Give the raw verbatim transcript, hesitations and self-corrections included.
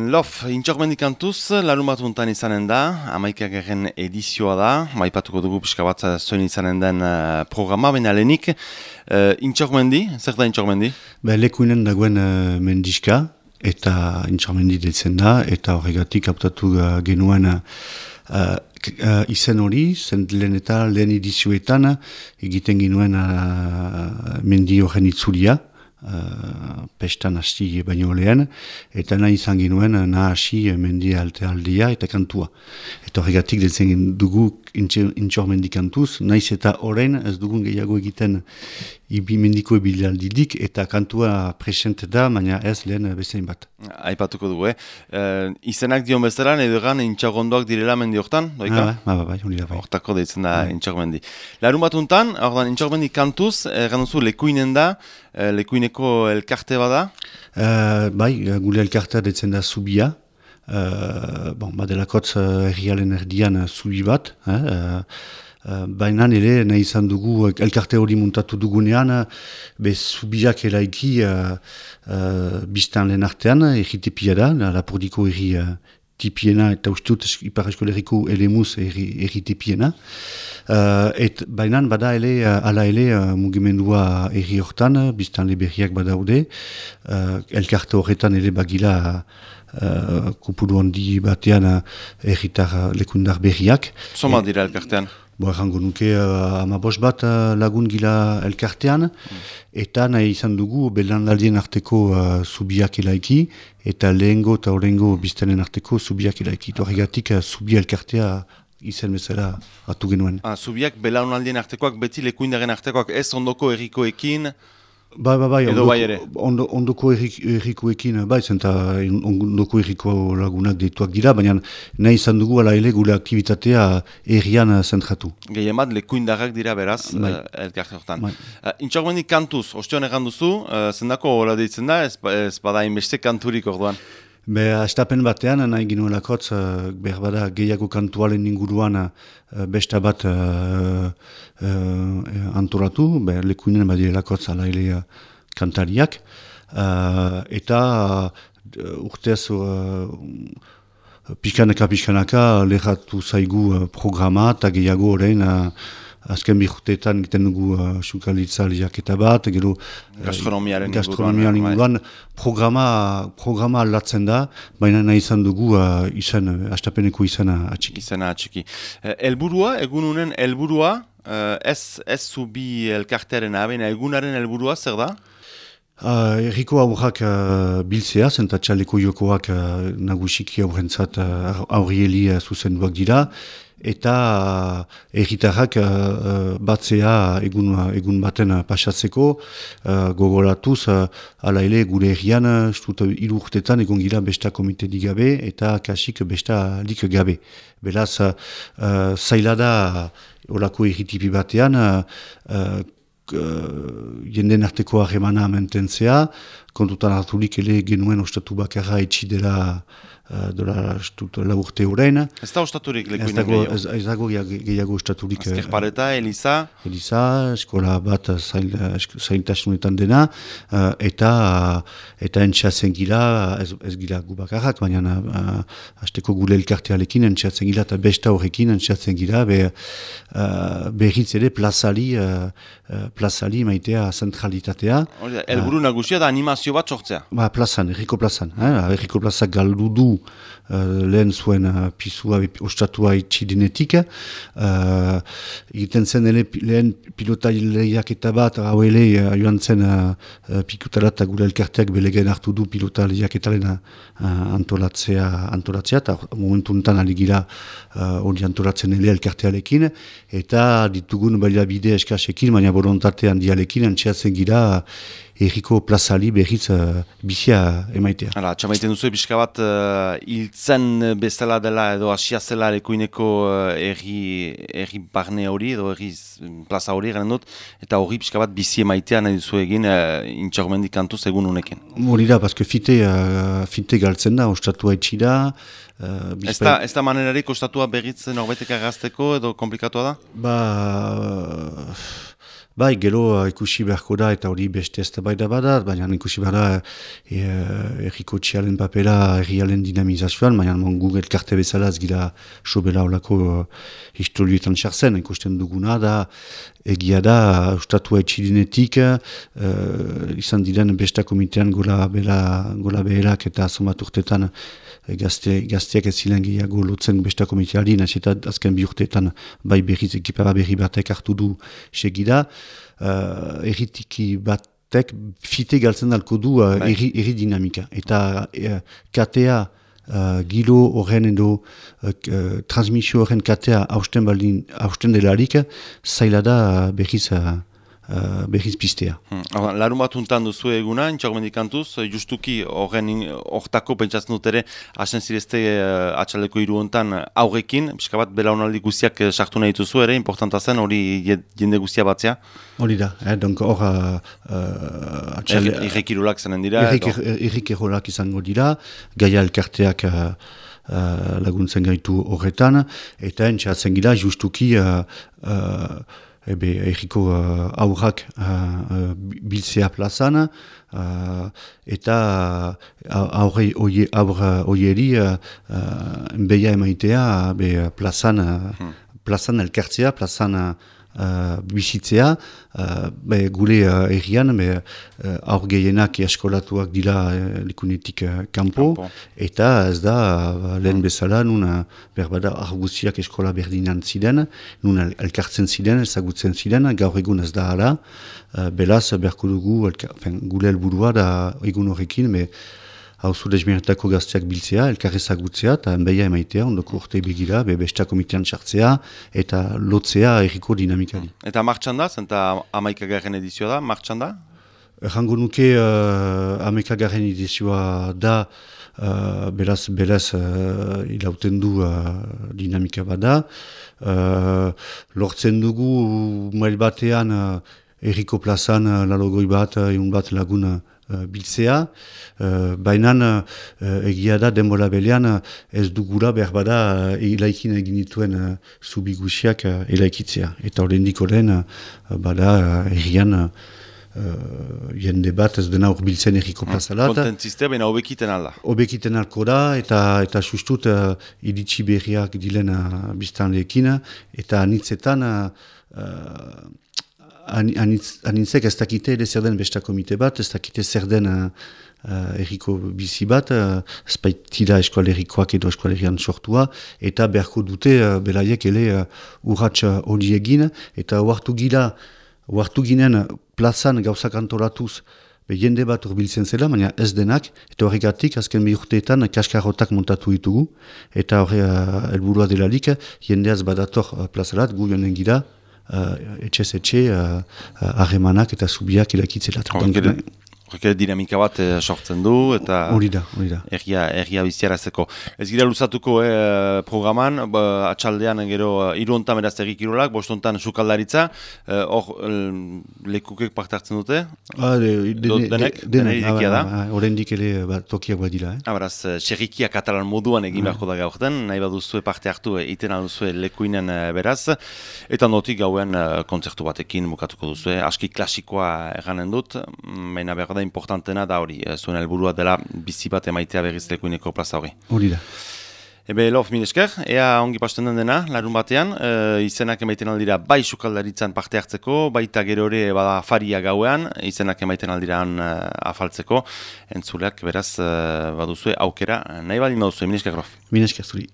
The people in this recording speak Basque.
Lof, intxormendik kantuz, larun bat untan izanen da, hamaikagarren edizioa da, maipatuko dugu pixka bat zoin izanen den uh, programa, baina lehenik, uh, intxormendi, zer da intxormendi? Ba, lekuinen dagoen uh, mendiska, eta intxormendi detzen da, eta horregatik hautatu uh, genuen uh, uh, izen hori, zen lehen eta lehen edizioetan, egiten genuen uh, mendi horren itzulia, Uh, pestan hasi baino lehen, eta nahi izan ginuen nahasi mendi alte aldia eta kantua. Eta horregatik detzen dugu intxormendi kantuz, naiz eta orain ez dugun gehiago egiten ibi mendiko ebilaldidik, eta kantua presente da, baina ez lehen bezain bat. Aipatuko dugu, eh? Uh, izenak dion bezala, edo egan intxagondoak direla mendi hortan, doika? Ah, ba, ba, ba, hori da bai. Hortako deitzen da ah. intxormendi. Larun bat untan, ordan intxormendi kantuz, erran duzu lekuinen da, uh, lekuineko elkarte bada? Uh, bai, gure elkartea detzen da Zubia. Uh, bon, badelakotz uh, errialen erdian uh, zubi bat, eh? uh, uh, baina ere nahi izan dugu elkarte hori muntatu dugunean, be zubiak eraiki uh, uh, biztan lehen artean, erritipia da, Lapurdiko erri uh, tipiena eta ustut Ipar Eskolerriko Elemuz erri, erritipiena. Uh, et baina bada ele, uh, ala ele uh, mugimendua erri hortan, biztan leberriak badaude, uh, elkarte horretan ere bagila Uh, kupuru handi batean uh, erritar uh, lekundar berriak. Zoma dira elkartean? Bo, errango nuke uh, amabos bat uh, lagun gila elkartean, mm. eta nahi izan dugu belandaldien arteko uh, zubiak elaiki, eta lehengo eta horrengo biztanen arteko zubiak elaiki. Horregatik uh, zubi elkartea izen bezala atu genuen. Ah, zubiak belandaldien artekoak beti lekuindaren artekoak ez ondoko errikoekin? Bai, bai, bai, edo ondoko, bai ere? Ondo, ondoko errikoekin, bai, zenta ondoko erriko lagunak dituak dira, baina nahi izan dugu ala ele gure aktivitatea errian zentratu. Gehien bat, lekuindarrak dira beraz, bai. uh, elkarte hortan. Bai. Uh, Intxormendik kantuz, ostion egan duzu, uh, zendako hola deitzen da, ez, ez bada inbeste kanturik orduan? Be, astapen batean, nahi ginuelakotz, uh, behar bada gehiago kantualen inguruan uh, besta bat uh, uh, antolatu, behar lekuinen badirelakotz ala ele uh, kantariak, uh, eta uh, urtez uh, pixkanaka-pixkanaka lehatu zaigu uh, programa, eta gehiago horrein uh, azken bihurteetan egiten dugu uh, sukalditza lehiaketa bat, gero gastronomiaren uh, gastronomiaren inguruan programa, programa aldatzen da, baina nahi izan dugu uh, izan, uh, astapeneko izana atxiki. Izana atxiki. Uh, elburua, egununen elburua, uh, ez, ez zubi elkartearen abena, egunaren elburua zer da? Uh, Erriko aurrak uh, biltzea, zenta txaleko jokoak uh, nagusiki aurrentzat uh, aurrieli uh, zuzenduak dira, eta uh, erritarrak uh, batzea egun, egun baten uh, pasatzeko, uh, gogoratuz, uh, ala ele gure errian, uh, hiru urtetan egon gira besta komite digabe, eta kasik besta lik gabe. Beraz, uh, zaila da olako erritipi batean, uh, uh, Uh, jenden arteko harremana mantentzea, kontutan hartulik ele genuen ostatu bakarra etxi dela uh, dela la urte horrein. Ez da ostaturik lekuinen gehiago? Ez, ez dago gehiago ostaturik. Azkerpareta, Eliza? Eliza, eskola bat zail, zailtasunetan dena, uh, eta eta entxatzen gila, ez, ez gila gu bakarrak, baina uh, hasteko gule elkartealekin entxatzen gila eta besta horrekin entxatzen gila, be, uh, berriz ere plazali uh, plazali maitea zentralitatea. Elburu nagusia da animazio bat sortzea? Ba, plazan, erriko plazan. Eh? Erriko plazak galdu du uh, lehen zuen uh, pisua ostatua itxidinetik. Uh, egiten zen ele, lehen pilota lehiak eta bat, hau ele uh, joan zen uh, pikutara eta gure elkarteak belegen hartu du pilota lehiak eta lehen uh, antolatzea, antolatzea, eta momentu enten aligira hori uh, antolatzen ele elkartealekin, eta ditugun baliabide eskasekin, baina borontatean dialekin antxeatzen gira erriko plazali berriz uh, bizia emaitea. Hala, txamaiten duzu pixka bat uh, hiltzen bezala dela edo asia zela lekuineko uh, erri, erri barne hori edo erri plaza hori garen dut, eta hori pixka bat bizi emaitea nahi duzu egin uh, intxormendik kantuz egun uneken. Hori da, paske fite, uh, fite galtzen da, ostatua etxi da. Uh, ez da, ez da manerarik ostatua berriz norbetek agazteko edo komplikatua da? Ba... Bai, gero uh, ikusi beharko da eta hori beste ez da bai da badat, baina ikusi behar da e, erriko txialen papera errialen dinamizazioan, baina mon Google karte bezala ez gira sobera olako uh, historioetan txartzen, ikusten duguna da, egia da, ustatua etxidinetik, uh, izan diren besta komitean gola, bela, gola behelak eta somat urtetan Gazte, gazteak ez zilen gehiago lotzen besta komiteari, nahiz eta azken bi urteetan bai berriz ekipara berri batek hartu du segida. Uh, erritiki batek fite galtzen dalko du uh, erri, erri dinamika. Eta uh, katea, uh, gilo horren edo uh, uh, transmisio horren katea hausten baldin, hausten delarik, zaila da uh, berriz uh, Uh, berriz pistea. Hmm. Larun bat untan duzu eguna, intxaugmendikantuz, justuki horren hortako pentsatzen dut ere, hasen zirezte uh, atxaldeko hiru hontan aurrekin, pixka bat belaunaldi guztiak sartu nahi dituzu ere, importanta zen, hori jende guztia batzea? Hori da, eh, donk hor uh, uh, atxalde... Irrekirolak zanen dira? Irrekirolak izango dira, gaia elkarteak uh, uh, laguntzen gaitu horretan, eta entxatzen gira justuki uh, uh, Ebe, erriko uh, aurrak uh, uh, biltzea plazan, uh, eta uh, aurre oieri uh, uh, beia emaitea be, plazan, uh, hmm. plazan elkartzea, plazan uh, bizitzea, uh, be, gure uh, errian, be, uh, aur gehienak eskolatuak dira uh, likunetik uh, kanpo, Kampo. Eta ez da uh, lehen bezala, nun uh, berbada arguziak eskola berdinan ziren, nun elkartzen ziren, ezagutzen ziren, gaur egun ez da hala, uh, belaz berko dugu, elka, fen, gure helburua da egun horrekin, be, hauzu desmiretako gazteak biltzea, elkarrezagutzea, eta enbeia emaitea, ondoko urte begira, be besta komitean txartzea, eta lotzea erriko dinamikari. Eta martxan da, zenta amaikagarren edizioa da, martxan da? Errango nuke uh, amaikagarren edizioa da, uh, beraz, beraz, uh, ilauten du uh, dinamika bada. Uh, lortzen dugu, mail batean, uh, erriko plazan, uh, lalogoi bat, uh, egun bat lagun uh, biltzea, uh, baina uh, egia da denbora belean uh, ez dugula behar bada uh, elaikin egin dituen uh, zubigusiak uh, elaikitzea. Eta horrendik horren uh, bada uh, errian uh, jende bat ez dena urbiltzen erriko plazala. Kontentziste, baina hobekiten alda. Hobekiten alko da, eta, eta sustut uh, iritsi berriak dilen uh, biztanleekin, eta anitzetan uh, uh, Anitz, anitzek ez dakite ere zer den besta komite bat, ez dakite zer den uh, uh, erriko bizi bat, uh, ez baitira eskualerikoak edo eskualerian sortua, eta beharko dute uh, belaiek ele uh, urratx hori egin, eta oartu gira, oartu ginen plazan gauzak antolatuz, be jende bat urbiltzen zela, baina ez denak, eta horregatik azken bi urteetan kaskarrotak montatu ditugu, eta horre uh, helburua delarik, jendeaz badator uh, plazalat, gu jonen gira, Uh, etxez etxe, harremanak uh, uh, eta zubiak ilakitzela. Horrek dinamika bat eh, sortzen du, eta hori da, hori da. Erria, erria biziarazeko. Ez gira luzatuko eh, programan, ba, atxaldean gero hiru hontan beraz errikirolak, bost hontan sukaldaritza, hor eh, lekukek parte hartzen dute? Ah, de, de, Do, denek, de, denek, denek da? Horrendik ere ba, tokiak badira. Eh? Ah, beraz, xerrikia katalan moduan egin beharko da gaurten, nahi baduzue parte hartu, iten alduzue lekuinen beraz, eta notik gauen kontzertu batekin bukatuko duzue, aski klasikoa erranen dut, baina behar da importantena da hori, zuen helburua dela bizi bat emaitea berriz lekuineko plaza hori. Hori da. Ebe, lof, mil esker, ea ongi pasten den dena, larun batean, e, izenak emaiten aldira bai sukaldaritzan parte hartzeko, baita gero hori bada afaria gauean, izenak emaiten aldiraan e, afaltzeko, entzuleak beraz e, baduzue aukera, nahi baldin baduzue, mil esker, lof. Mil esker zuri.